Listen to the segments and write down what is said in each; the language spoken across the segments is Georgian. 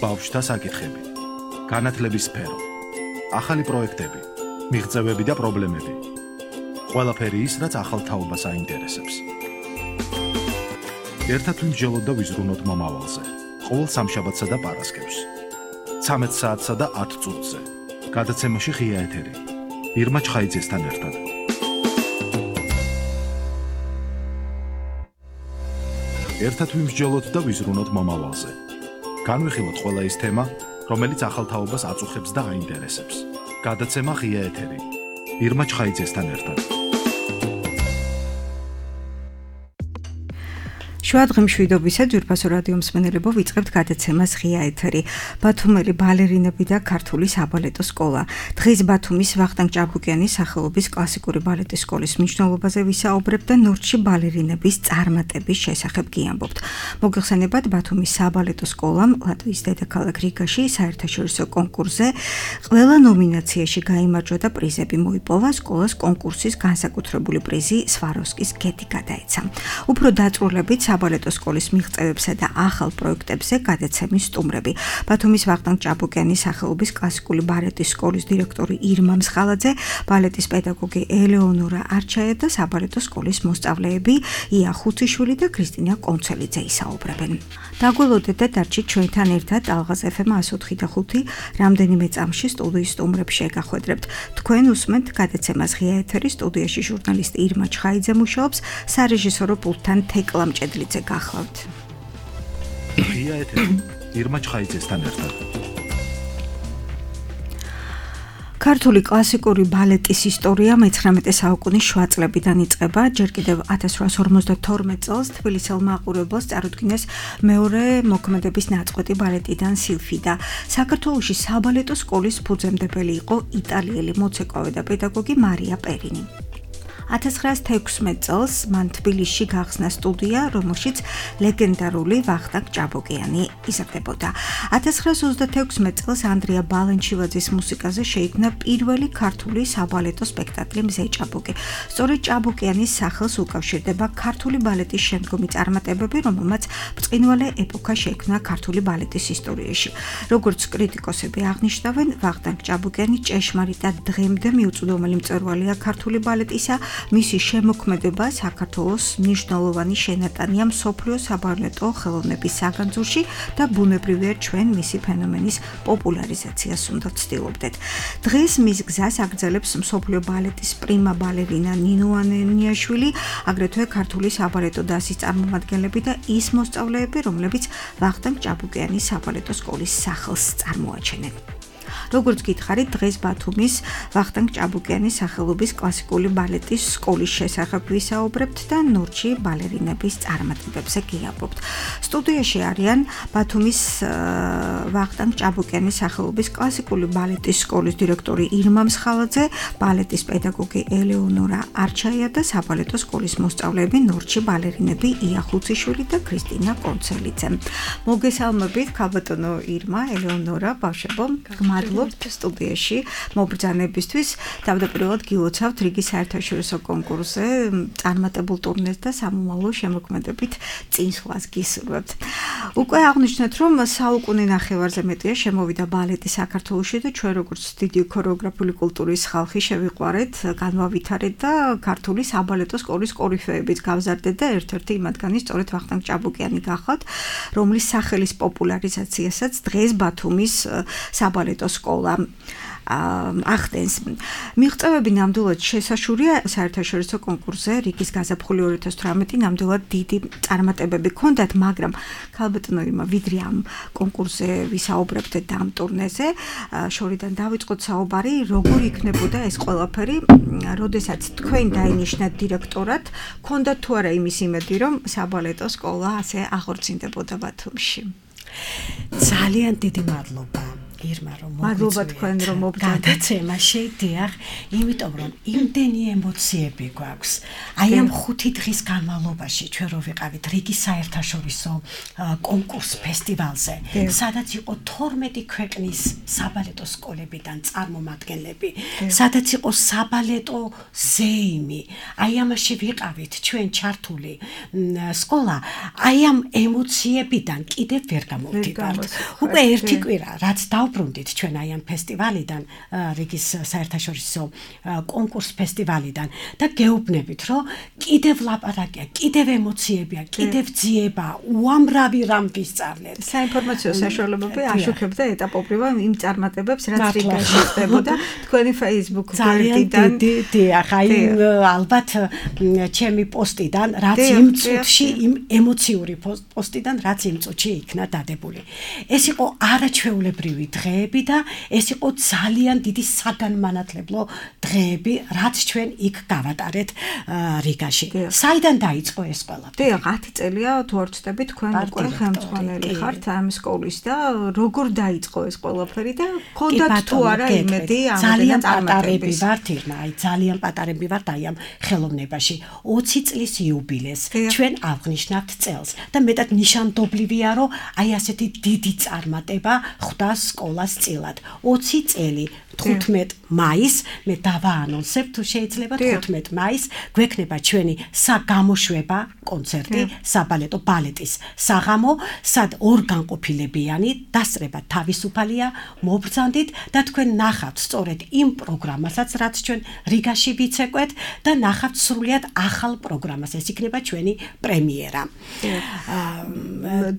ბავშვთა საკითხები, განათლების სფერო, ახალი პროექტები, მიღწევები და პრობლემები. ყველაფერი ის, რაც ახალ თაობას აინტერესებს. ერთად ვიმსჯელოთ და ვიზრუნოთ მომავალზე. ყოველ სამშაბათსა და პარასკევს. 13 საათსა და 10 წუთზე. გადაცემაში ღია ეთერი. ირმა ჩხაიძესთან ერთად. ერთად ვიმსჯელოთ და ვიზრუნოთ მომავალზე. განვიხილოთ ყველა ის თემა, რომელიც ახალ თაობას აწუხებს და აინტერესებს. გადაცემა ღია ეთერი. ირმა ჩხაიძესთან ერთად. შუადღე მშვიდობისა ძვირფასო რადიო მსმენელებო, ვიწყებთ გადაცემას ღია ეთერი. ბათუმელი ბალერინები და ქართული საბალეტო სკოლა. დღეს ბათუმის ვახტანგ ჭაბუკიანის სახელობის კლასიკური ბალეტის სკოლის მნიშვნელობაზე ვისაუბრებთ და ნორჩი ბალერინების წარმატების შესახებ გიამბობთ. მოგეხსენებათ, ბათუმის საბალეტო სკოლამ ლატვიის დედაქალაქ რიგაში საერთაშორისო კონკურსზე ყველა ნომინაციაში გაიმარჯვა და პრიზები მოიპოვა. სკოლას კონკურსის განსაკუთრებული პრიზი სვაროვსკის გეთი გადაეცა. უფრო დაწვრილებით საბალეტო სკოლის მიღწევებსა და ახალ პროექტებზე გადაცემის სტუმრები. ბათუმის ვახტანგ ჭაბუკიანის სახელობის კლასიკური ბალეტის სკოლის დირექტორი ირმა მსხალაძე, ბალეტის პედაგოგი ელეონორა არჩაია და საბალეტო სკოლის მოსწავლეები ია ხუციშვილი და ქრისტინა კონცელიძე ისაუბრებენ. დაგველოდეთ და დარჩით ჩვენთან ერთად ალღაზ FM 104.5 რამდენიმე წამში სტუდიის სტუმრებს შეგახვედრებთ. თქვენ უსმენთ გადაცემას ღია ეთერის, სტუდიაში ჟურნალისტი ირმა ჩხაიძე მუშაობს, სარეჟისორო პულტთან თეკლა მჭედლიძე გახლავთ. ღია ეთერი. ირმა ჩხაიძესთან ერთად. ქართული კლასიკური ბალეტის ისტორია მე-19 საუკუნის შუა წლებიდან იწყება. ჯერ კიდევ 1852 წელს თბილისელ მაყურებელს წარუდგინეს მეორე მოქმედების ნაწყვეტი ბალეტიდან სილფიდა. საქართველოში საბალეტო სკოლის ფუძემდებელი იყო იტალიელი მოცეკვავე და პედაგოგი მარია პერინი. 1916 წელს მან თბილისში გახსნა სტუდია, რომელშიც ლეგენდარული ვახტანგ ჭაბუკიანი იზრდებოდა. 1926 წელს ანდრია ბალენჩივაძის მუსიკაზე შეიქმნა პირველი ქართული საბალეტო სპექტაკლი მზე ჭაბუკი. სწორედ ჭაბუკიანის სახელს უკავშირდება ქართული ბალეტის შემდგომი წარმატებები, რომელმაც ბრწყინვალე ეპოქა შექმნა ქართული ბალეტის ისტორიაში. როგორც კრიტიკოსები აღნიშნავენ, ვახტანგ ჭაბუკიანი ჭეშმარიტად დღემდე მიუწვდომელი მწვერვალია ქართული ბალეტისა. მისი შემოქმედება საქართველოს მნიშვნელოვანი შენატანია მსოფლიო საბალეტო ხელოვნების საგანძურში და ბუნებრივია ჩვენ მისი ფენომენის პოპულარიზაციას უნდა ვცდილობდეთ. დღეს მის გზას აგრძელებს მსოფლიო ბალეტის პრიმა ბალერინა ნინო ანენიაშვილი, აგრეთვე ქართული საბალეტო დასის წარმომადგენლები და ის მოსწავლეები, რომლებიც ვახტანგ ჭაბუკიანის საბალეტო სკოლის სახელს წარმოაჩენენ. როგორც გითხარით, დღეს ბათუმის ვახტანგ ჭაბუკიანის სახელობის კლასიკური ბალეტის სკოლის შესახებ ვისაუბრებთ და ნორჩი ბალერინების წარმატებებზე გიამბობთ. სტუდიაში არიან ბათუმის ვახტანგ ჭაბუკიანის სახელობის კლასიკური ბალეტის სკოლის დირექტორი ირმა მსხალაძე, ბალეტის პედაგოგი ელეონორა არჩაია და საბალეტო სკოლის მოსწავლეები ნორჩი ბალერინები ია ხუციშვილი და ქრისტინა კონცელიძე. მოგესალმებით, ქალბატონო ირმა, ელეონორა, ბავშვებო, მადლობთ სტუდიაში მობრძანებისთვის. თავდაპირველად გილოცავთ რიგის საერთაშორისო კონკურსზე წარმატებულ ტურნეს და სამომავლო შემოქმედებით წინსვლას გისურვებთ. უკვე აღნიშნეთ, რომ საუკუნე ნახევარზე მეტია შემოვიდა ბალეტი საქართველოში და ჩვენ როგორც დიდი ქორეოგრაფიული კულტურის ხალხი შევიყვარეთ, განვავითარეთ და ქართული საბალეტო სკოლის კორიფეებით გავზარდეთ და ერთ-ერთი მათგანი სწორედ ვახტანგ ჭაბუკიანი გახლავთ, რომლის სახელის პოპულარიზაციასაც დღეს ბათუმის საბალეტო სკოლა ახდენს. მიღწევები ნამდვილად შესაშურია საერთაშორისო კონკურსზე, რიგის გაზაფხული 2018 ნამდვილად დიდი წარმატებები ჰქონდათ, მაგრამ ქალბატონო ირმა, ვიდრე ამ კონკურსზე ვისაუბრებთ და ამ ტურნეზე, შორიდან დავიწყოთ საუბარი, როგორ იქნებოდა ეს ყველაფერი, როდესაც თქვენ დაინიშნათ დირექტორად, ჰქონდათ თუ არა იმის იმედი, რომ საბალეტო სკოლა ასე აღორძინდებოდა ბათუმში? ძალიან დიდი მადლობა. ირმა რომ მადლობა თქვენ რომ მობრძანეთ გადაცემაში დიახ იმიტომ რომ იმდენი ემოციები გვაქვს აი ამ 5 დღის განმავლობაში ჩვენ რო ვიყავით რიგის საერთაშორისო კონკურს ფესტივალზე სადაც იყო 12 ქვეყნის საბალეტო სკოლებიდან წარმომადგენლები სადაც იყო საბალეტო ზეიმი აი ამაში ვიყავით ჩვენ ჩართული სკოლა აი ამ ემოციებიდან კიდევ ვერ გამოვდივართ უკვე ერთი კვირა რაც დავბრუნდით ჩვენ აი ამ ფესტივალიდან რიგის საერთაშორისო კონკურს ფესტივალიდან და გეუბნებით რომ კიდევ ლაპარაკია კიდევ ემოციებია კიდევ ძიება უამრავი რამ ვისწავლეთ საინფორმაციო საშუალებები აშუქებდა ეტაპობრივად იმ წარმატებებს რაც რიგაში ხდებოდა თქვენი Facebook გვერდიდან დიახ აი ალბათ ჩემი პოსტიდან რაც იმ წუთში იმ ემოციური პოსტიდან რაც იმ წუთში იქნა დადებული ეს იყო არაჩვეულებრივი დღეები და ეს იყო ძალიან დიდი საგანმანათლებლო დღეები რაც ჩვენ იქ გავატარეთ რიგაში საიდან დაიწყო ეს ყველაფერი დიახ 10 წელია თუ არ ვცდები თქვენ უკვე ხელმძღვანელი ხართ ამ სკოლის და როგორ დაიწყო ეს ყველაფერი და გქონდათ თუ არა იმედი ძალიან პატარები ვართ ირმა აი ძალიან პატარები ვართ აი ამ ხელოვნებაში 20 წლის იუბილეს ჩვენ აღნიშნავთ წელს და მეტად ნიშანდობლივია რომ აი ასეთი დიდი წარმატება ხვდა სკოლას წილად 20 წელი 15 მაისს მე დავაანონსებ თუ შეიძლება 15 მაისს გვექნება ჩვენი საგამოშვება კონცერტი საბალეტო ბალეტის საღამო სად ორგანყოფილებიანი დასწრება თავისუფალია მობრძანდით და თქვენ ნახავთ სწორედ იმ პროგრამასაც რაც ჩვენ რიგაში ვიცეკვეთ და ნახავთ სრულიად ახალ პროგრამას ეს იქნება ჩვენი პრემიერა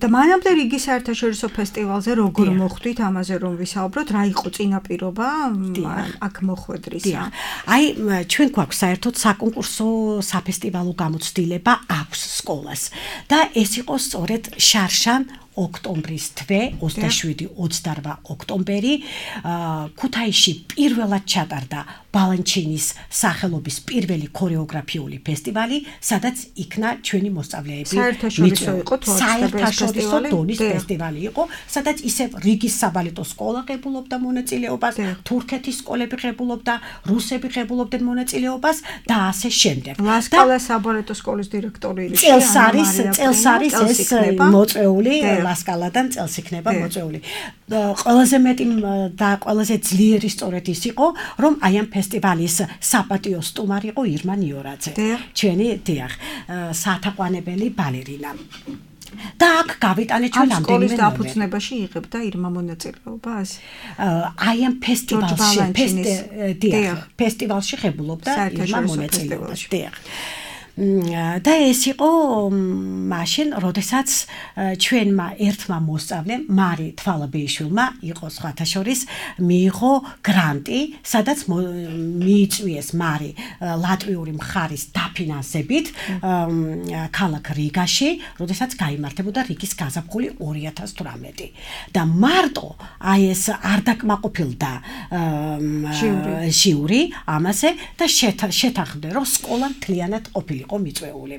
და მანამდე რიგის საერთაშორისო ფესტივალზე როგორ მოხვდით ამაზე რომ ვისაუბროთ რა იყო წინაპირობა აქ მოხვედრისა აი ჩვენ გვაქვს საერთოდ საკონკურსო საფესტივალო გამოცდილება აქვს სკოლას და ეს იყო სწორედ შარშან ოქტომბრის თვე 27-28 ოქტომბერი ქუთაისში პირველად ჩატარდა ბალანჩინის სახელობის პირველი ქორეოგრაფიული ფესტივალი სადაც იქნა ჩვენი მოსწავლეები საერთაშორისო დონის ფესტივალი იყო სადაც ისევ რიგის საბალეტო სკოლა ღებულობდა მონაწილეობას თურქეთის სკოლები ღებულობდა რუსები ღებულობდნენ მონაწილეობას და ასე შემდეგ ლასკალა საბალეტო სკოლის დირექტორი წელს არის ეს მოწვეული ლასკალადან წელს იქნება მოწვეული ყველაზე მეტი და ყველაზე ძლიერი სწორედ ის იყო რომ აი ამ ფესტივალის საპატიო სტუმარი იყო ირმა ნიორაძე ჩვენი დიახ საათაყვანებელი ბალერინა და აქ გავიტანეთ ჩვენ ამ სკოლის დაფუძნებაში იღებდა ირმა მონაწილეობას აი ამ ფესტივალში ღებულობდა ირმა მონაწილეობას დიახ და ეს იყო მაშინ, როდესაც ჩვენმა ერთმა მოსწავლემ მარი თვალაბეიშვილმა იყო სხვათა შორის მიიღო გრანტი, სადაც მიიწვიეს მარი ლატვიური მხარის დაფინანსებით ქალაქ რიგაში, როდესაც გაიმართებოდა რიგის გაზაფხული 2018 და მარტო აი ეს არ დაკმაყოფილდა ჟიური ამაზე და შეთანხმდა რომ სკოლა მთლიანად ყოფილიყო მიწვეული.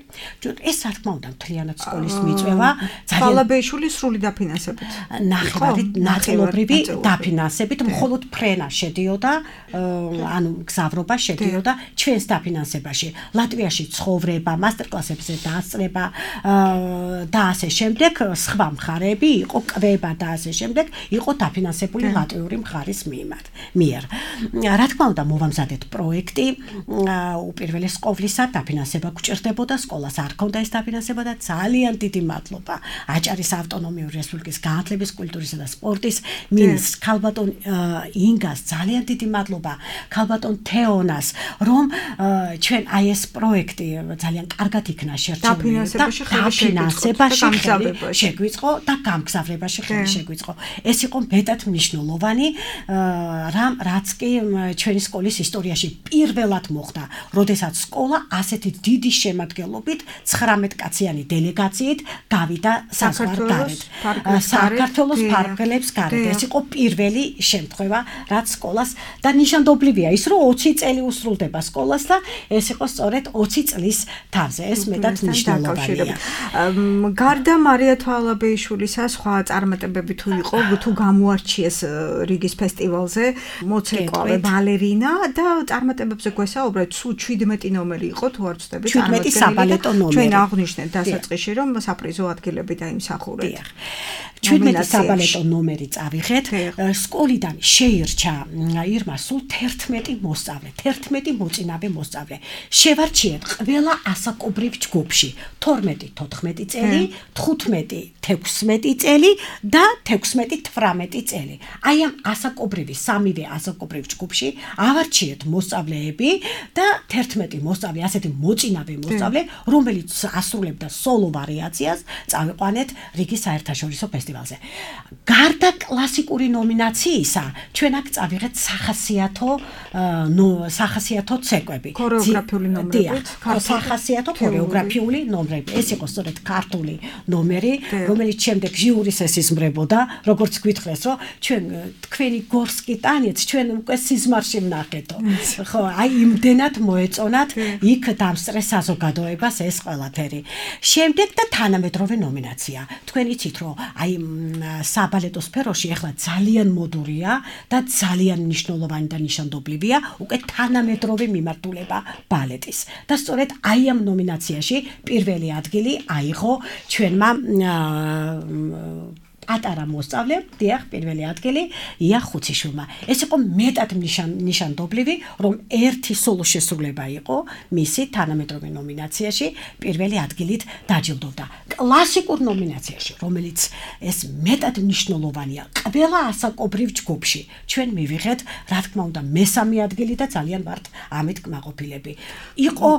ეს რა თქმა უნდა მთლიანად სკოლის მიწვევა თვალაბეიშვილი სრული დაფინანსებით. ნაწილობრივი დაფინანსებით, მხოლოდ ფრენა შედიოდა, ანუ გზავრობა შედიოდა ჩვენს დაფინანსებაში. ლატვიაში ცხოვრება, მასტერკლასებზე დასწრება და ასე შემდეგ, სხვა მხარეები იყო კვება და ასე შემდეგ, იყო დაფინანსებული ლატვიური მხარის მიერ. რა თქმა უნდა, მოვამზადეთ პროექტი, უპირველეს ყოვლისა დაფინანსება გჭირდებოდა, სკოლას არ ჰქონდა ეს დაფინანსება და ძალიან დიდი მადლობა აჭარის ავტონომიური რესპუბლიკის განათლების, კულტურისა და სპორტის მინისტრს ქალბატონ ინგას, ძალიან დიდი მადლობა ქალბატონ თეონას, რომ ჩვენ აი ეს პროექტი ძალიან კარგად იქნა შერჩეული და დაფინანსებაში შეგვიწყო და გამგზავრებაში ხელი შეგვიწყო. ეს იყო მეტად მნიშვნელოვანი რამ, რაც კი ჩვენი სკოლის ისტორიაში პირველად მოხდა, როდესაც სკოლა ასეთი დიდი დიდი შემადგენლობით 19 კაციანი დელეგაციით გავიდა საზღვარგარეთ. საქართველოს ფარგლებს გარეთ. ეს იყო პირველი შემთხვევა, რაც სკოლას და ნიშანდობლივია ის, რომ 20 წელი უსრულდება სკოლას და ეს იყო სწორედ 20 წლის თავზე. ეს მეტად მნიშვნელოვანია. გარდა მარია თვალაბეიშვილისა სხვა წარმატებები თუ იყო, თუ გამოარჩიეს რიგის ფესტივალზე, მოცეკვავე ბალერინა და წარმატებებზე გვესაუბრეთ, სულ 17 ნომერი იყო თუ არ ვცდები, 17 საბალეტო ნომერი. ჩვენ აღვნიშნეთ დასაწყისში, რომ საპრიზო ადგილები დაიმსახურეთ. 17 საბალეტო ნომერი წავიღეთ. სკოლიდან შეირჩა ირმა სულ 11 მოსწავლე, 11 მოწინავე მოსწავლე. შევარჩიეთ ყველა ასაკობრივ ჯგუფში 12-14 წელი, 15-16 წელი და 16-18 წელი. აი ამ ასაკობრივი სამივე ასაკობრივ ჯგუფში ავარჩიეთ მოსწავლეები და 11 მოსწავლე, ასეთი მოწინავე მოსწავლე, რომელიც ასრულებდა სოლო ვარიაციას, წავიყვანეთ რიგის საერთაშორისო ფესტივალზე. გარდა კლასიკური ნომინაციისა, ჩვენ აქ წავიღეთ სახასიათო ცეკვები. ქორეოგრაფიული ნომრები, სახასიათო ქორეოგრაფიული ნომრები. ეს იყო სწორედ ქართული ნომერი, რომელიც შემდეგ ჟიურის ესიზმრებოდა, როგორც გითხრეს, რომ ჩვენ თქვენი გორსკი ტანიც ჩვენ უკვე სიზმარში ვნახეთო. ხო, აი იმდენად მოეწონათ იქ დამსწრეს საზოგადოებას ეს ყველაფერი. შემდეგ და თანამედროვე ნომინაცია. თქვენ იცით, რომ აი საბალეტო სფეროში ახლა ძალიან მოდურია და ძალიან მნიშვნელოვანი და ნიშანდობლივია უკვე თანამედროვე მიმართულება ბალეტის. და სწორედ აი ამ ნომინაციაში პირველი ადგილი აიღო ჩვენმა პატარა მოსწავლე, დიახ, პირველი ადგილი ია ხუციშვილმა. ეს იყო მეტად ნიშანდობლივი, რომ ერთი სოლო შესრულება იყო მისი თანამედროვე ნომინაციაში პირველი ადგილით დაჯილდოვდა. კლასიკურ ნომინაციაში, რომელიც ეს მეტად მნიშვნელოვანია, ყველა ასაკობრივ ჯგუფში ჩვენ მივიღეთ, რა თქმა უნდა, მესამე ადგილი და ძალიან ვართ ამით კმაყოფილები. იყო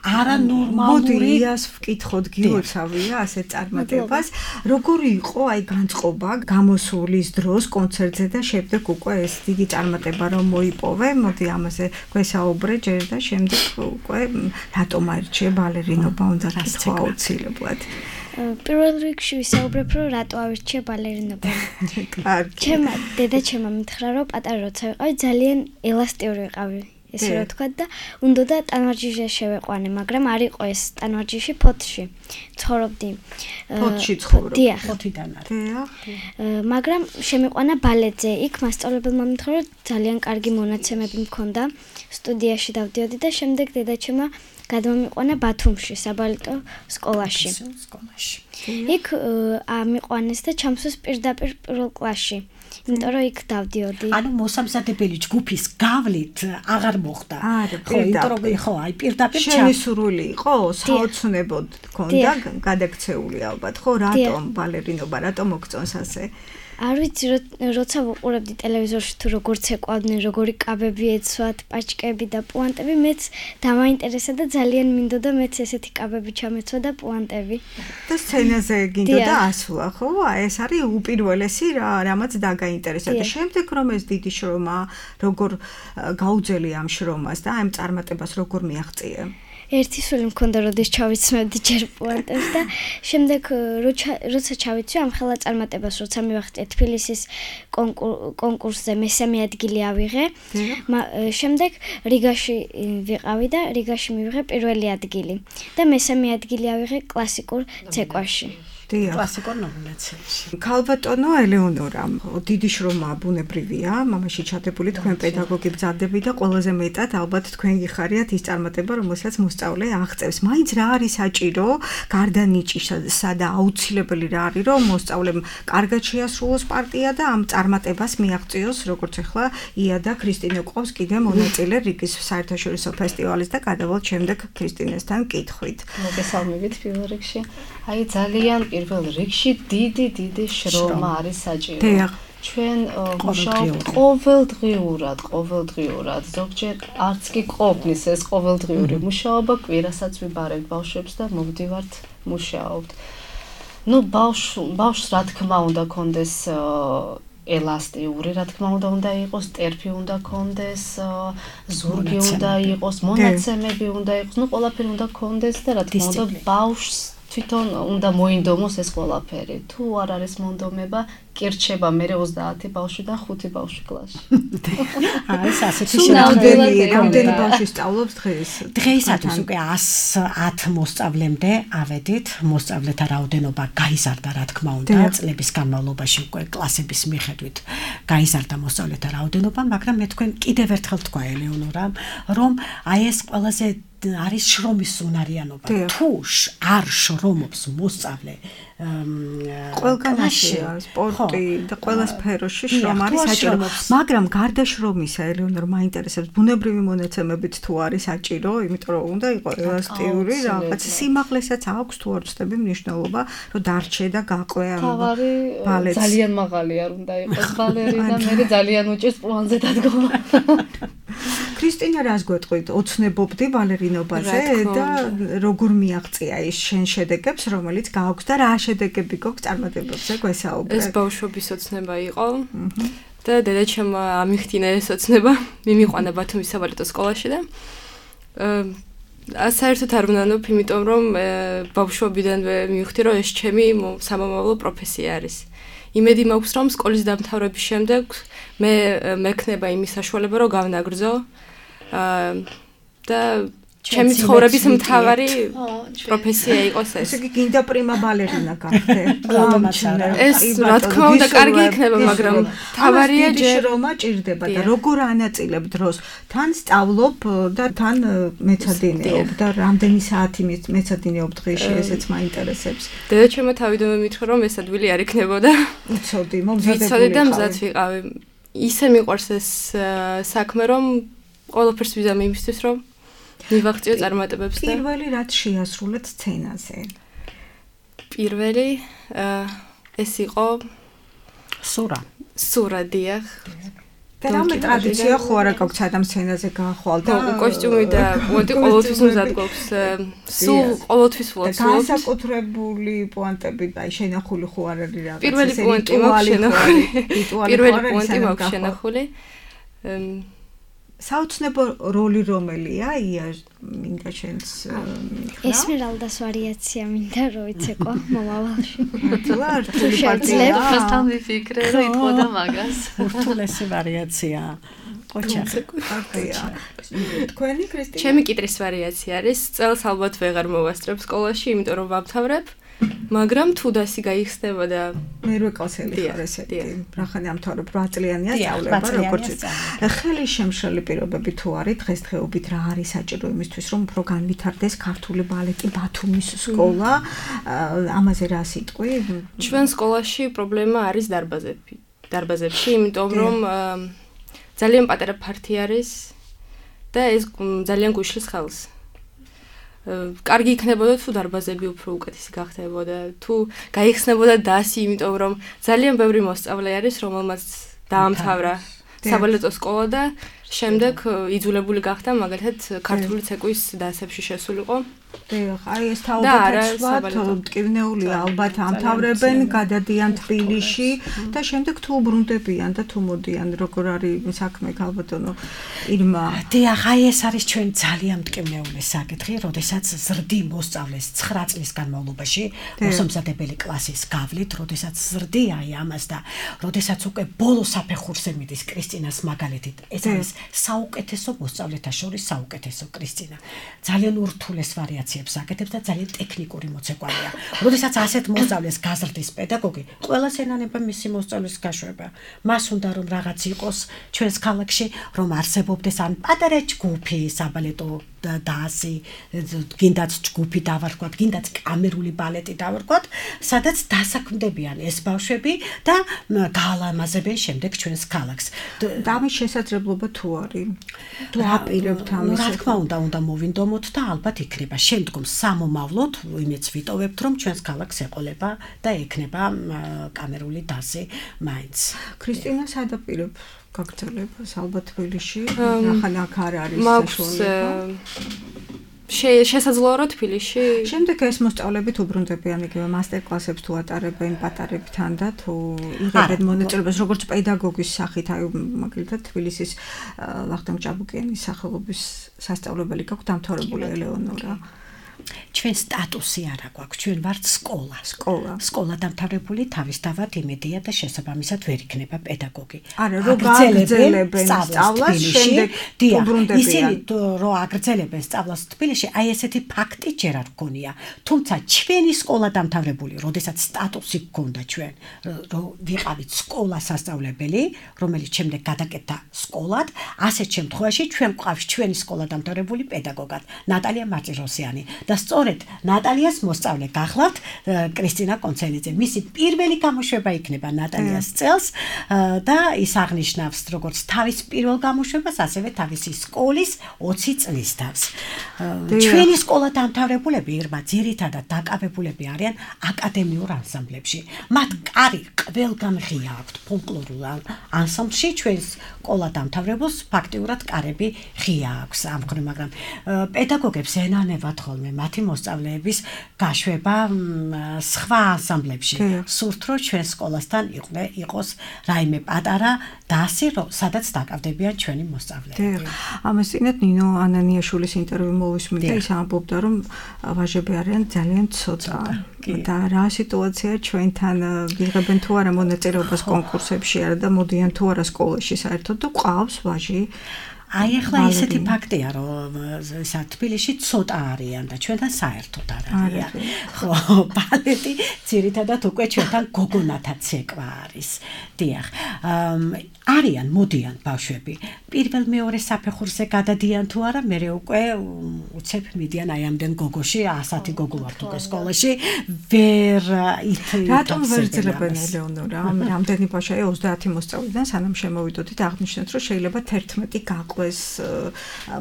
არანორმალური. მოდი იას ვკითხოთ, გილოცავია ასეთ წარმატებას. როგორი იყო აი განწყობა გამოსulis დროს კონცერტზე და შემდეგ უკვე ეს დიდი წარმატება რომ მოიპოვე. მოდი ამაზე გვესაუბრე ჯერ და შემდეგ უკვე რატომ აირჩიე ბალერინობა უნდა გითხრა აუცილებლად. პირველ რიგში ვისაუბრებ რომ რატო ავირჩიე ბალერინობა. კარგი. ჩემმა დედაჩემმა მითხრა რომ პატარა როცა ვიყავი ძალიან ელასტიური ვიყავი. ესე რა თქვა და უნდა ტანვარჯიშზე შევეყვანე, მაგრამ არ იყო ეს ტანვარჯიში ფოთში. ცხოვრობდი. ფოთში ცხოვრობ. დიახ. ფოთიდან არის. დიახ. მაგრამ შემიყვანა ბალეტზე. იქ მასწავლებელმა მითხრა რომ ძალიან კარგი მონაცემები მქონდა. სტუდიაში დავდიოდი და შემდეგ დედაჩემმა გადმომიყვანა ბათუმში, საბალეტო სკოლაში. იქ ამიყვანეს და ჩამსვეს პირდაპირ პირველ კლასში. იმიტომ რომ იქ დავდიოდი. ანუ მოსამზადებელი ჯგუფის გავლით აღარ მოხდა. ხო, იმიტომ რომ ხო, აი პირდაპირ შემისურვილი იყო, საოცნებოდ გქონდა გადაქცეული ალბათ, ხო, რატომ ბალერინობა, რატომ მოგწონს ასე? არ ვიცი, როცა ვუყურებდი ტელევიზორში თუ როგორც ეკვავდნენ, როგორი კაბები ეცვათ, პაჭკები და პუანტები, მეც დამაინტერესა და ძალიან მინდოდა მეც ესეთი კაბები ჩამეცვა და პუანტები. და სცენაზე გინდოდა ასვლა, ხო? ეს არის უპირველესი რამაც დაგაინტერესა და შემდეგ რომ ეს დიდი შრომა, როგორ გაუძელი ამ შრომას და ამ წარმატებას როგორ მიაღწიე? ერთი სული მქონდა, როდის ჩავიცმევდი ჯერ პუანტებს და შემდეგ როცა ჩავიცვი ამ ხელა წარმატებას, როცა მივახტე თბილისის კონკურსზე მესამე ადგილი ავიღე. შემდეგ რიგაში ვიყავი და რიგაში მივიღე პირველი ადგილი და მესამე ადგილი ავიღე კლასიკურ ცეკვაში. კლასიკურ ნომინაციაში. ქალბატონო ელეონორა, დიდი შრომა ბუნებრივია, მამაში ჩადებული თქვენ პედაგოგი ბრძანდები და ყველაზე მეტად ალბათ თქვენ გიხარიათ ის წარმატება, რომელსაც მოსწავლე აღწევს. მაინც რა არის საჭირო, გარდა ნიჭისა და აუცილებელი რა არის, რომ მოსწავლემ კარგად შეასრულოს პარტია და ამ წარმატებას მიაღწიოს, როგორც ახლა ია და ქრისტინე ყავს კიდე მონაწილე რიგის საერთაშორისო ფესტივალის და გადავალთ შემდეგ ქრისტინესთან კითხვით. მოგესალმებით პირველ რიგში. აი ძალიან პირველ რიგში დიდი შრომა არის საჭირო. ჩვენ მუშაობთ ყოველდღიურად, ზოგჯერ არც კი ყოფნის ეს ყოველდღიური მუშაობა, კვირასაც ვიბარებთ ბავშვებს და მოვდივართ მუშაობთ. ბავშვს რა თქმა უნდა კონდეს ელასტიური, რა თქმა უნდა იყოს, ტერფი უნდა კონდეს, ზურგი უნდა იყოს, მონაცემები უნდა იყოს, ყველაფერი უნდა კონდეს და რა თქმა უნდა ბავშვს თვითონ უნდა მოინდომოს ეს ყველაფერი. თუ არ არის მონდომება, კი რჩება მე 30 ბავშვი და 5 ბავშვი კლასში. არის ასეთი შემთხვევები, რამდენი ბავშვი სწავლობს დღეს? დღეისათვის უკვე 110 მოსწავლემდე ავედით, მოსწავლეთა რაოდენობა გაიზარდა, რა თქმა უნდა, წლების განმავლობაში უკვე კლასების მიხედვით გაიზარდა მოსწავლეთა რაოდენობა, მაგრამ მე თქვენ კიდევ ერთხელ თქვა ელეონორა, რომ აი ეს ყველაზე არის შრომის უნარიანობა. თუ არ შრომობს მოსწავლე ყველგანაში სპორტი და ყველა სფეროში შრომა არის საჭირო, მაგრამ გარდა შრომისა ელეონორ მაინტერესებს ბუნებრივი მონაცემებით თუ არის საჭირო, იმიტომ რომ უნდა იყოს ელასტიური რაღაც სიმაღლესაც აქვს თუ არ ვწდები მნიშვნელობა, რომ დარჩე და გაყვე ამ ბალეტს. ძალიან მაღალი არ უნდა იყოს ბალერინა, მე ძალიან უჭირს პლანზე დადგომა. ქრისტინა, რას გვეტყვით? ოცნებობდი ბალერინობაზე და როგორ მიაღწია ის შენ შედეგებს, რომელიც გააქვს და რა შედეგები გვაქვს წარმატებებზე გვესაუბრე? ეს ბავშვობის ოცნება იყო და დედაჩემმა ამიხდინა ეს ოცნება, მიმიყვანა ბათუმის საბალეტო სკოლაში და საერთოდ არ ვნანობ, იმიტომ რომ ბავშვობიდანვე მივხვდი, რომ ეს ჩემი სამომავლო პროფესია არის. იმედი მაქვს, რომ სკოლის დამთავრების შემდეგ მე მექნება იმის საშუალება, რომ გავნაგრძო და ჩემი ცხოვრების მთავარი პროფესია იყოს ეს. ესე იგი გინდა პრიმა ბალერინა გახდე. ეს რა თქმა უნდა კარგი იქნება, მაგრამ მთავარია შრომა ჭირდება და როგორ ანაწილებ დროს? თან სწავლობ და თან მეცადინეობ და რამდენი საათი მეცადინეობ დღეში, ესეც მაინტერესებს. დედაჩემმა თავიდანვე მითხრა, რომ ეს ადვილი არ იქნებოდა. უცოდი, მომზადებული და მზად ვიყავი. ისე მიყვარს ეს საქმე, რომ ყველაფერს ვიზამ იმისთვის, რომ მივაღწიო წარმატებებს და პირველი რაც შეასრულეთ სცენაზე. პირველი ეს იყო სურა დიახ. და რამე ტრადიცია ხო არა გაქვს адам სცენაზე გაახვალ და კოსტიუმი და პუანტი ყოველთვის მზად გვაქვს. სულ ყოველთვის ვუწევთ. განსაკუთრებული პუანტები, აი შენახული ხო არ არის რაღაც. პირველი პუანტი მაქვს შენახული. პირველი პუანტი მაქვს შენახული. საოცნებო როლი რომელია ია მინდა შენს ესმერალდას ვარიაცია მინდა რომ იცეკო მომავალში რთული პარტია ხასთან ვიფიქრე რომ იტყოდა მაგას რთულესი ვარიაცია ოჩახი პარტია თქვენი ქრისტინა ჩემი კიტრის ვარიაცია არის წელს ალბათ ვეღარ მოვასწრებ სკოლაში იმიტომ რომ ვამთავრებ მაგრამ თუ დასი გაიხსნება და მერვე კლასელი ხარ ესეთი რახან ამთავრებ 8 წლიანია სწავლება როგორც ხელი შემშლელი პირობები თუ არის დღესდღეობით რა არის საჭირო იმისთვის რომ უფრო განვითარდეს ქართული ბალეტი ბათუმის სკოლა ამაზე რა სიტყვი ჩვენ სკოლაში პრობლემა არის დარბაზებში იმიტომ რომ ძალიან პატარა ფართი არის და ეს ძალიან გუშლის ხელს კარგი იქნებოდა თუ დარბაზები უფრო უკეთესი გახდებოდა თუ გაიხსნებოდა დასი იმიტომ რომ ძალიან ბევრი მოსწავლე არის რომელმაც დაამთავრა საბალეტო სკოლა და შემდეგ იძულებული გახდა მაგალითად ქართული ცეკვის დასებში შესულიყო აი ეს თაობათაც მტკივნეულია ალბათ ამთავრებენ გადადიან თბილისში და შემდეგ თუ უბრუნდებიან და თუ მოდიან როგორ არის საქმე ალბათონო ირმა დიახ აი ეს არის ჩვენ ძალიან მტკივნეული საკითხი როდესაც ზრდი მოსწავლეს 9 წლის განმავლობაში მოსამზადებელი კლასის გავლით როდესაც ზრდი აი ამას და როდესაც უკვე ბოლო საფეხურზე მიდის კრისტინას მაგალითით ეს არის საუკეთესო მოსწავლეთა შორის საუკეთესო კრისტინა ძალიან ურთულეს ვარიაციებს აკეთებს და ძალიან ტექნიკური მოცეკვავეა. როდესაც ასეთ მოსწავლეს გაზრდის პედაგოგი, ყველას ენანება მისი მოსწავლის გაშვება. მას უნდა რომ რაღაც იყოს ჩვენს ქალაქში, რომ არსებობდეს ან პატარა ჯგუფი საბალეტო და ასე გინდაც ჯგუფი დავარქვათ, გინდაც კამერული ბალეტი დავარქვათ, სადაც დასაქმდებიან ეს ბავშვები და გაალამაზებენ შემდეგ ჩვენს ქალაქს. და ამის შესაძლებლობა თუ არის? თუ აპირებთ ამის? რა თქმა უნდა მოვინდომოთ და ალბათ იქნება შემდგომ სამომავლოდ იმეც ვიტოვებთ რომ ჩვენს ქალაქს ეყოლება და ექნება კამერული დასი მაინც. ქრისტინა სადაპირებ გაგრძელებას ალბათ თბილისში ახლა აქ არ არის საშუალება შესაძლოა რომ თბილისში შემდეგ ეს მოსწავლებით უბრუნდებიან იგივე მასტერკლასებს თუ ატარებენ პატარებთან და თუ იღებენ მონაწილეობას როგორც პედაგოგის სახით აი მაგალითად თბილისის ვახტანგ ჭაბუკიანის სახელობის სასწავლებელი გაქვთ დამთავრებული ელეონორა ჩვენ სტატუსი არ აქვს, ჩვენ ვართ სკოლა დამთავრებული თავისთავად იმედია და შესაბამისად ვერ იქნება პედაგოგი. არა, რომ აგრძელებენ სწავლას, შემდეგ უბრუნდებიან. ისინი რომ აგრძელებენ სწავლას თბილისში, აი ესეთი ფაქტი ჯერ არ გქონია. თუმცა ჩვენი სკოლა დამთავრებული, როდესაც სტატუსი გქონდა ჩვენ, რომ ვიყავით სკოლა სასწავლებელი, რომელიც შემდეგ გადაკეთდა სკოლად, ასეთ შემთხვევაში ჩვენ გვყავს ჩვენი სკოლა დამთავრებული პედაგოგად, ნატალია მარწიროსიანი. და სწორედ ნატალიას მოსწავლე გახლავთ კრისტინა კონცელიძე. მისი პირველი გამოშვება იქნება ნატალიას წელს და ის აღნიშნავს როგორც თავის პირველ გამოშვებას, ასევე თავისი სკოლის 20 წლის თავს. ჩვენი სკოლა დამთავრებულები irma ძირითადად დაკავებულები არიან აკადემიურ ანსამბლებში. მათ კარი ყველგან ღია აქვთ ფოლკლორულ ანსამბლში ჩვენს სკოლა დამთავრებულს ფაქტიურად კარები ღია აქვს ამ მხრივ, მაგრამ პედაგოგებს ენანებათ ხოლმე მათი მოსწავლეების გაშვება სხვა ანსამბლებში. სურთ რომ ჩვენ სკოლასთან იყოს რაიმე პატარა დასი, სადაც დაკავდებიან ჩვენი მოსწავლეები. ამას წინათ ნინო ანანიაშვილის ინტერვიუ მოვისმინე და ის ამბობდა რომ ვაჟები არიან ძალიან ცოტა და რა სიტუაცია ჩვენთან ვიღებენ თუ არა მონაწილეობას კონკურსებში არა და მოდიან თუ არა სკოლაში საერთოდ და ყავს ვაჟი აი ახლა ისეთი ფაქტია რომ ისა თბილისში ცოტა არიან და ჩვენთან საერთოდ არ არიან. ხო, ბალეტი ძირითადად უკვე ჩვენთან გოგონათა ცეკვა არის. დიახ. არიან, მოდიან ბავშვები. პირველ მეორე საფეხურზე გადადიან თუ არა, მე უკვე უცებ მიდიან აი ამდენ გოგოში, 100 გოგო ვართ უკვე სკოლაში. ვერ რატომ ვერ ძლებენ ელეონორა? რამდენი ბავშვია 30 მოსწავლიდან სანამ შემოვიდოდით აღნიშნეთ რომ შეიძლება 11 გაყვეს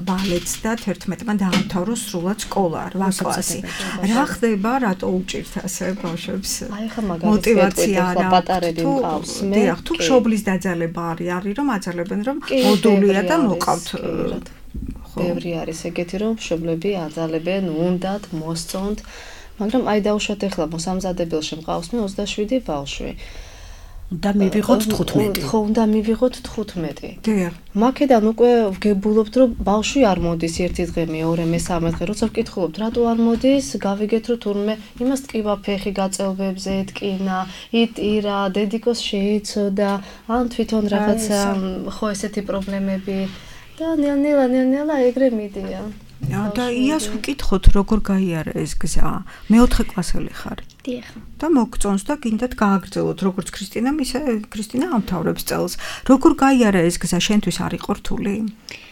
ბალეტს და 11-მა დაამთავროს სრულად სკოლა 8 კლასი. რა ხდება, რატო უჭირთ ასე ბავშვებს? აი ხა მოტივაცია რა პატარები მყავს. მე თუ მშობლის დაძალება არის რომ აძალებენ რომ მოდულია და მოყავთ. ბევრი არის ეგეთი რომ მშობლები აძალებენ, უნდათ მოსწონთ, მაგრამ აი დავუშვათ ახლა მოსამზადებელში მყავს მე 27 ბავშვი. და მივიღოთ 15. ხო, უნდა მივიღოთ 15. დიახ. მაქედან უკვე ვგებულობთ რომ ბავშვი არ მოდის ერთი დღე, მეორე, მესამე დღე, როცა ვკითხულობთ, რატო არ მოდის? გავიგეთ რომ თურმე იმას ტკივა ფეხი გაწელვებზე ეთკინა, იტირა, დედიკოს შეიცოდა, ან თვითონ რაღაცა ხო ესეთი პრობლემები და ნელ-ნელა ეგრე მიდიან. და იას ვკითხოთ როგორ გაიარა ეს გზა. მეოთხე კლასელი ხარ. დიახ. და მოგწონს და გინდათ გააგრძელოთ როგორც ქრისტინამ, ისე ქრისტინა ამთავრებს წელს. როგორ გაიარა ეს გზა შენთვის არ იყო რთული?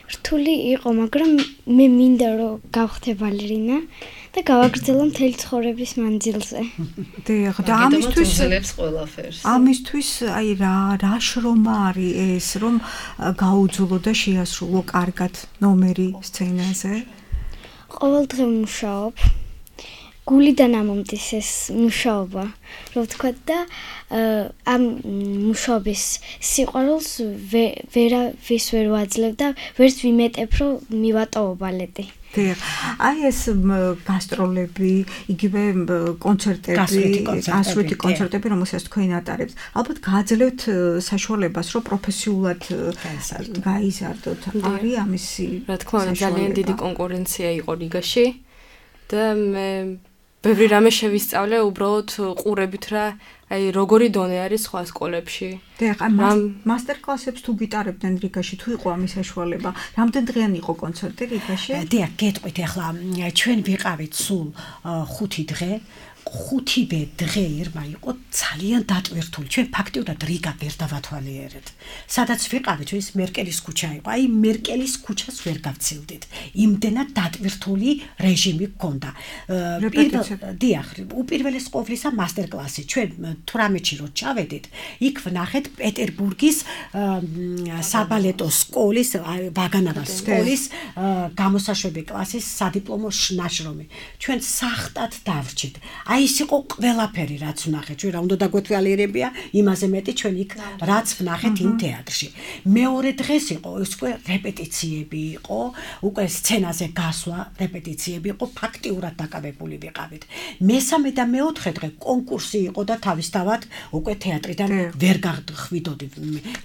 რთული იყო, მაგრამ მე მინდა რომ გავხდე ბალერინა და გავაგრძელო მთელი ცხოვრების მანძილზე. დიახ, და ამისთვის უძლებს ყველაფერს. ამისთვის აი რა შრომა არის ეს, რომ გაუძლო და შეასრულო კარგად ნომერი სცენაზე? ყოველ დღე მუშაობ. გულიდან ამომდის ეს მუშაობა, რომ ვთქვა და ამ მუშაობის სიყვარულს ვერავის ვერ ვაძლევ და ვერც ვიმეტებ, რომ მივატოვო ბალეტი. დიახ. აი ეს გასტროლები, იგივე კონცერტები, გასვლითი კონცერტები, რომელსაც თქვენ ატარებთ. ალბათ გააძლევთ საშუალებას, რომ პროფესიულად გაიზარდოთ. არის ამისი რა თქმა უნდა, ძალიან დიდი კონკურენცია იყო რიგაში და მე ბევრი რამე შევისწავლე უბრალოდ ყურებით რა აი როგორი დონე არის სხვა სკოლებში. დიახ, მასტერკლასებს თუ გიტარებდნენ რიგაში, თუ იყო ამის საშუალება? რამდენ დღიანი იყო კონცერტი რიგაში? დიახ, გეტყვით ახლა ჩვენ ვიყავით სულ 5 დღე. 5-ვე დღე irma იყო ძალიან დატვირთული. ჩვენ ფაქტიურად რიგა ვერ დავათვალიერეთ. სადაც ვიყავით, ის მერკელის ქუჩა იყო. აი მერკელის ქუჩას ვერ გავცილდით. იმდენად დატვირთული რეჟიმი გქონდა. დიახ, უპირველეს ყოვლისა მასტერკლასი. ჩვენ 18-ში რო ჩავედით, იქ ვნახეთ პეტერბურგის საბალეტო სკოლის, ვაგანავას სკოლის გამოსაშვები კლასის სადიპლომო ნაშრომი. ჩვენ სახტად დავრჩით. აი ის იყო ყველაფერი რაც ვნახეთ ჩვენ რა უნდა დაგვეთვალიერებია იმაზე მეტი ჩვენ იქ რაც ვნახეთ იმ თეატრში მეორე დღეს იყო ის უკვე რეპეტიციები იყო უკვე სცენაზე გასვლა რეპეტიციები იყო ფაქტიურად დაკავებული ვიყავით მესამე და მეოთხე დღე კონკურსი იყო და თავისთავად უკვე თეატრიდან ვერ გახვიდოდი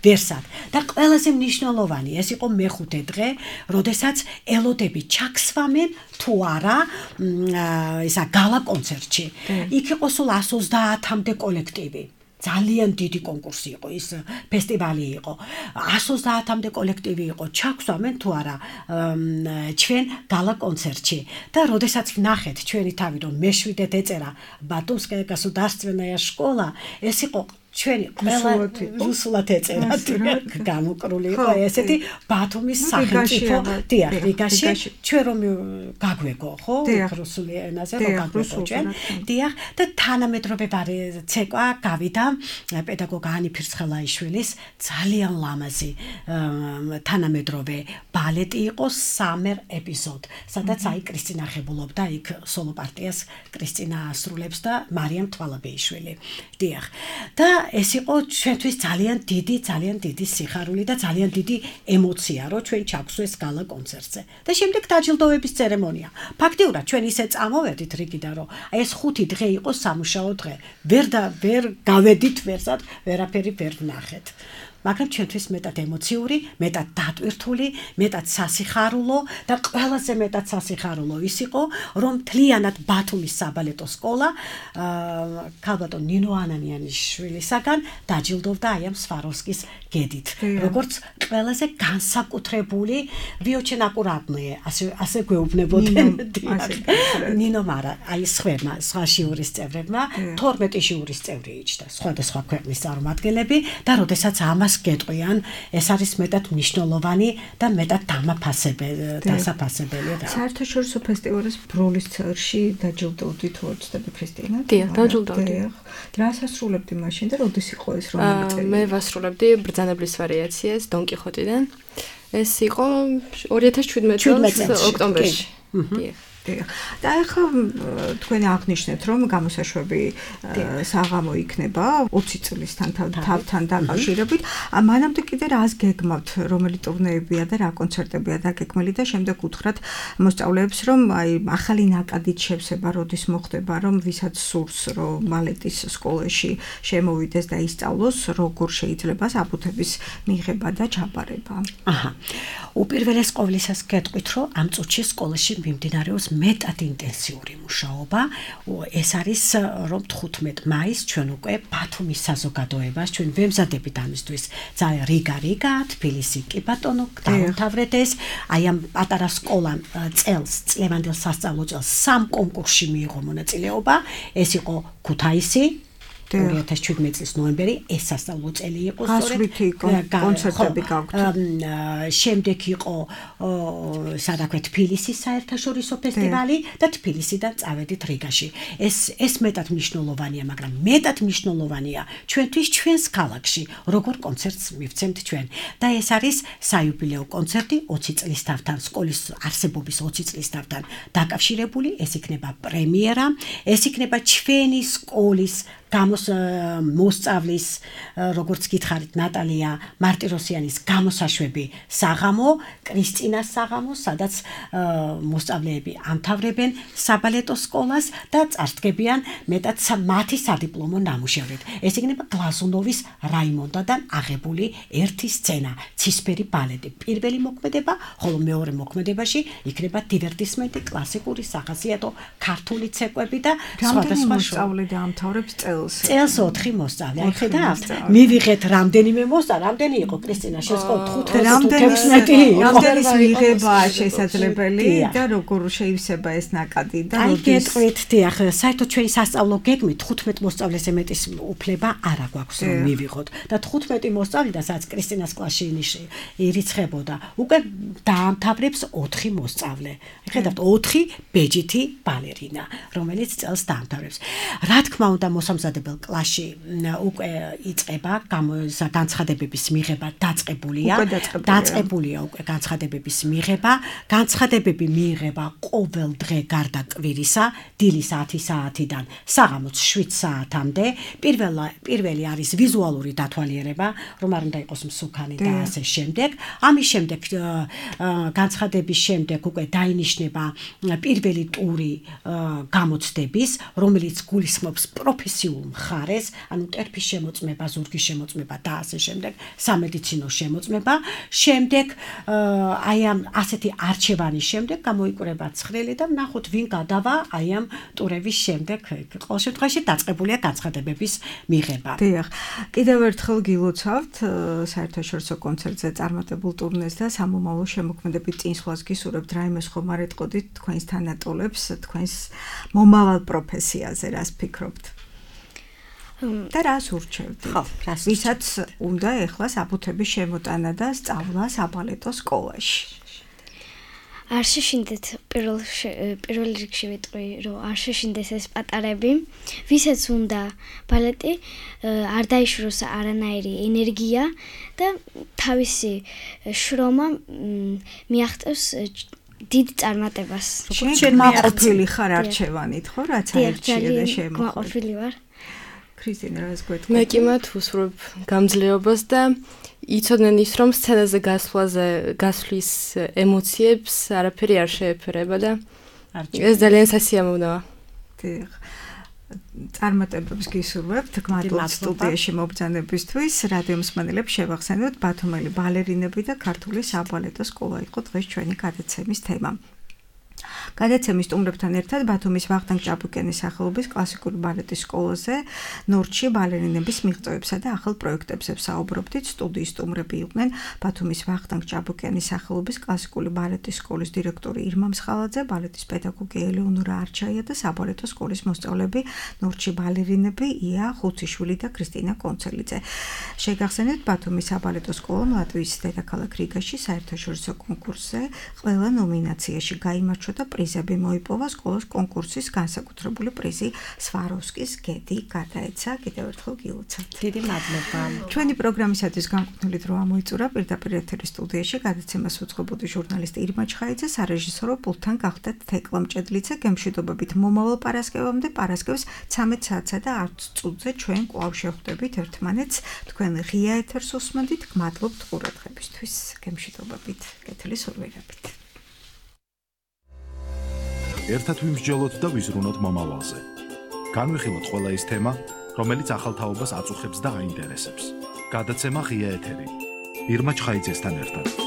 ვერსად და ყველაზე მნიშვნელოვანი ეს იყო მეხუთე დღე როდესაც ელოდები ჩაქსვამენ თუ არა ისა გალა კონცერტში იქ იყო სულ 130-მდე კოლექტივი ძალიან დიდი კონკურსი იყო ის ფესტივალი იყო 130-მდე კოლექტივი იყო ჩაგვსვამენ თუ არა ჩვენ გალა კონცერტში და როდესაც ვნახეთ ჩვენი თავი რომ მეშვიდეთ ეწერა ბატუმსკაია გასუდარსტვენная школа ეს იყო ჩვენი ყველა რუსულად ეწერა გამოკრული იყო ესეთი ბათუმის სახელმწიფო დიახ რიგაში ჩვენ რომ გაგვეგო ხო რუსული ენაზე რომ გაგვეგო ჩვენ დიახ და თანამედროვე ცეკვა გავიდა პედაგოგ ანი ფირცხელაიშვილის ძალიან ლამაზი თანამედროვე ბალეტი იყო სამერ ეპიზოდ სადაც აი კრისტინა ხებულობდა იქ სოლო პარტიას კრისტინა ასრულებს და მარიამ თვალაბეიშვილი დიახ და ეს იყო ჩვენთვის ძალიან დიდი სიხარული და ძალიან დიდი ემოცია რომ ჩვენ ჩაგვსვეს გალა კონცერტზე და შემდეგ დაჯილდოების ცერემონია ფაქტიურად ჩვენ ისე წამოვედით რიგიდან რომ ეს 5 დღე იყო სამუშაო დღე ვერ გავედით ვერსად ვერაფერი ვერ ვნახეთ მაგრამ ჩვენთვის მეტად ემოციური, მეტად დატვირთული, მეტად სასიხარულო და ყველაზე მეტად სასიხარულო ის იყო, რომ თლიანად ბათუმის საბალეტო სკოლა ქალბატონ ნინო ანანიანიშვილისაგან დაჯილდოვდა აი ამ სვაროვსკის გედით. როგორც ყველაზე განსაკუთრებული ვიოჩენ აკურატნიე, ასე გვეუბნებოდნენ ნინო მარა, აი სხვა ჟიურის წევრებმა 12 ჟიურის წევრი იჭდა, სხვადასხვა ქვეყნის წარმომადგენლები და როდესაც ამას გეტყვიან, ეს არის მეტად მნიშვნელოვანი და მეტად დასაფასებელი რა. საერთაშორისო ფესტივალის ბროლის წელში დაჯილდოვდით უწოდები ქრისტინა? დიახ, დაჯილდოვდი. რას ასრულებდი მაშინ და როდის იყო ეს რომელი წელი? მე ვასრულებდი ბრძანებლის ვარიაციას დონ კიხოტიდან. ეს იყო 2017 წლის ოქტომბერში. დიახ. და ახლა თქვენ აღნიშნეთ რომ გამოსაშვები საღამო იქნება 20 წლისთან თავთან დაკავშირებით. მანამდე კიდე რას გეგმავთ, რომელი ტურნეებია და რა კონცერტებია დაგეგმილი და შემდეგ უთხრათ მოსწავლეებს რომ აი ახალი ნაკადით შევსება როდის მოხდება, რომ ვისაც სურს რომ ბალეტის სკოლაში შემოვიდეს და ისწავლოს, როგორ შეიძლება საფუთების მიღება და ჩაბარება. უპირველეს ყოვლისა გეტყვით რომ ამ წუთში სკოლაში მიმდინარეობს მეტად ინტენსიური მუშაობა. ეს არის რომ 15 მაისს ჩვენ უკვე ბათუმის საზოგადოებას ჩვენ ვემზადებით ამისთვის. ძალიან რიგა, თბილისი კი ბატონო, დაამთავრეთ ეს. აი ამ პატარა სკოლამ წლევანდელ სასწავლო წელს 3 კონკურსში მიიღო მონაწილეობა. ეს იყო ქუთაისი 2017 წლის ნოემბერი ეს სასწავლო წელი იყო სწორედ კონცერტები გაქვთ. შემდეგ იყო სადაქვე თბილისის საერთაშორისო ფესტივალი და თბილისიდან წავედით რიგაში. ეს მეტად მნიშვნელოვანია, მაგრამ მეტად მნიშვნელოვანია ჩვენთვის ჩვენს ქალაქში, როგორ კონცერტს მივცემთ ჩვენ. და ეს არის საიუბილეო კონცერტი 20 წლის თავთან, სკოლის არსებობის 20 წლის თავთან დაკავშირებული, ეს იქნება პრემიერა, ეს იქნება ჩვენი სკოლის მოსწავლის, როგორც გითხარით, ნატალია მარტიროსიანის გამოსაშვები საღამო, კრისტინას საღამო, სადაც მოსწავლეები ამთავრებენ საბალეტო სკოლას და წარსდგებიან მეტად მათი სადიპლომო ნამუშევრით. ეს იქნება გლაზუნოვის რაიმონდადან აღებული ერთი სცენა, ცისფერი ბალეტი. პირველი მოქმედება, ხოლო მეორე მოქმედებაში იქნება დივერტისმენტი, კლასიკური სახასიათო ქართული ცეკვები და სხვადასხვა მოსწავლე დაამთავრებს წელს 4 მოსწავლე. ხედავთ? მივიღეთ რამდენიმე მოსწავლე, რამდენი იყო კრისტინა შესყო 15 რამდენის მიღება შესაძლებელი და როგორ შეივსება ეს ნაკადი და როდის? აი გეტყვით, დიახ, საერთოდ ჩვენი სასწავლო გეგმით 15 მოსწავლეს მეტის უფლება არ აქვს რომ მივიღოთ და 15 მოსწავლიდან სადაც კრისტინას კლასში ირიცხებოდა, უკვე დაამთავრებს 4 მოსწავლე. ხედავთ, 4 ბეჯითი ბალერინა, რომელიც წელს დაამთავრებს. რა თქმა უნდა, მოსამზად დასაწყისმცოდნეობელ კლასში უკვე იწყება განცხადებების მიღება დაწყებულია უკვე განცხადებების მიღება განცხადებები მიიღება ყოველ დღე გარდა კვირისა დილის 10 საათიდან საღამოს 7 საათამდე პირველი არის ვიზუალური დათვალიერება რომ არ უნდა იყოს მსუქანი და ასე შემდეგ ამის შემდეგ განცხადების შემდეგ უკვე დაინიშნება პირველი ტური გამოცდების რომელიც გულისხმობს პროფესიულ მხარეს ანუ ტერფის შემოწმება ზურგის შემოწმება და ასე შემდეგ სამედიცინო შემოწმება შემდეგ აი ამ ასეთი არჩევანის შემდეგ გამოიკვრება ცხრილი და ვნახოთ ვინ გადავა აი ამ ტურების შემდეგ ყოველ შემთხვევაში დაწყებულია განცხადებების მიღება. დიახ. კიდევ ერთხელ გილოცავთ საერთაშორისო კონცერტზე წარმატებულ ტურნეს და სამომავლო შემოქმედებით წინსვლას გისურვებთ რაიმე ხომ არ ეტყოდით თქვენს თანატოლებს თქვენს მომავალ პროფესიაზე რას ფიქრობთ? და რას ურჩევთ? ვისაც უნდა ეხლა საბუთების შემოტანა და სწავლა საბალეტო სკოლაში? არ შეშინდეთ პირველ რიგში ვიტყვი რომ არ შეშინდეს ეს პატარები ვისაც უნდა ბალეტი არ დაიშროს არანაირი ენერგია და თავისი შრომა მიაღწევს დიდ წარმატებას შემაყოფილი ხარ არჩევანით ხო რაც აირჩიე და შემოყვილი ვარ ქრისტინა რას გვეთქვი მე კი მათ ვუსურვებ გამძლეობას და იცოდნენ ის რომ სცენაზე გასვლის ემოციებს არაფერი არ შეეფერება და ეს ძალიან სასიამოვნოა. დიახ. წარმატებებს გისურვებთ გმადლობთ სტუდიაში მობრძანებისთვის რადიო მსმენელებს შევახსენოთ ბათუმელი ბალერინები და ქართული საბალეტო სკოლა იყო დღეს ჩვენი გადაცემის თემა. გადაცემის სტუმრებთან ერთად ბათუმის ვახტანგ ჭაბუკიანის სახელობის კლასიკური ბალეტის სკოლაზე ნორჩი ბალერინების მიღწევებსა და ახალ პროექტებზე ვსაუბრობდით. სტუდიის სტუმრები იყვნენ ბათუმის ვახტანგ ჭაბუკიანის სახელობის კლასიკური ბალეტის სკოლის დირექტორი ირმა მსხალაძე, ბალეტის პედაგოგი ელეონორა არჩაია და საბალეტო სკოლის მოსწავლეები ნორჩი ბალერინები ია ხუციშვილი და ქრისტინა კონცელიძე. შეგახსენებთ ბათუმის საბალეტო სკოლამ ლატვიის დედაქალაქ რიგაში საერთაშორისო კონკურსზე ყველა ნომინაციაში გაიმარჯვა და პრიზები მოიპოვა სკოლის კონკურსის განსაკუთრებული პრიზი სვაროვსკის გედი გადაეცა. კიდევ ერთხელ გილოცავთ. დიდი მადლობა. ჩვენი პროგრამისათვის განკუთვნილი დრო ამოიწურა პირდაპირ ეთერის სტუდიაში გადაცემას უძღვებოდი ჟურნალისტი ირმა ჩხაიძე, სარეჟისორო პულტთან გახდათ თეკლა მჭედლიძე. გემშვიდობებით მომავალ პარასკევამდე პარასკევს 13 საათსა და 10 წუთზე ჩვენ კვლავ შევხვდებით ერთმანეთს. თქვენ ღია ეთერს უსმენთ. გმადლობთ ყურადღებისთვის. გემშვიდობებით. კეთილი სურვილებით. ერთად ვიმსჯელოთ და ვიზრუნოთ მომავალზე. განვიხილოთ ყველა ის თემა, რომელიც ახალ თაობას აწუხებს და აინტერესებს. გადაცემა ღია ეთერი. ირმა ჩხაიძესთან ერთად.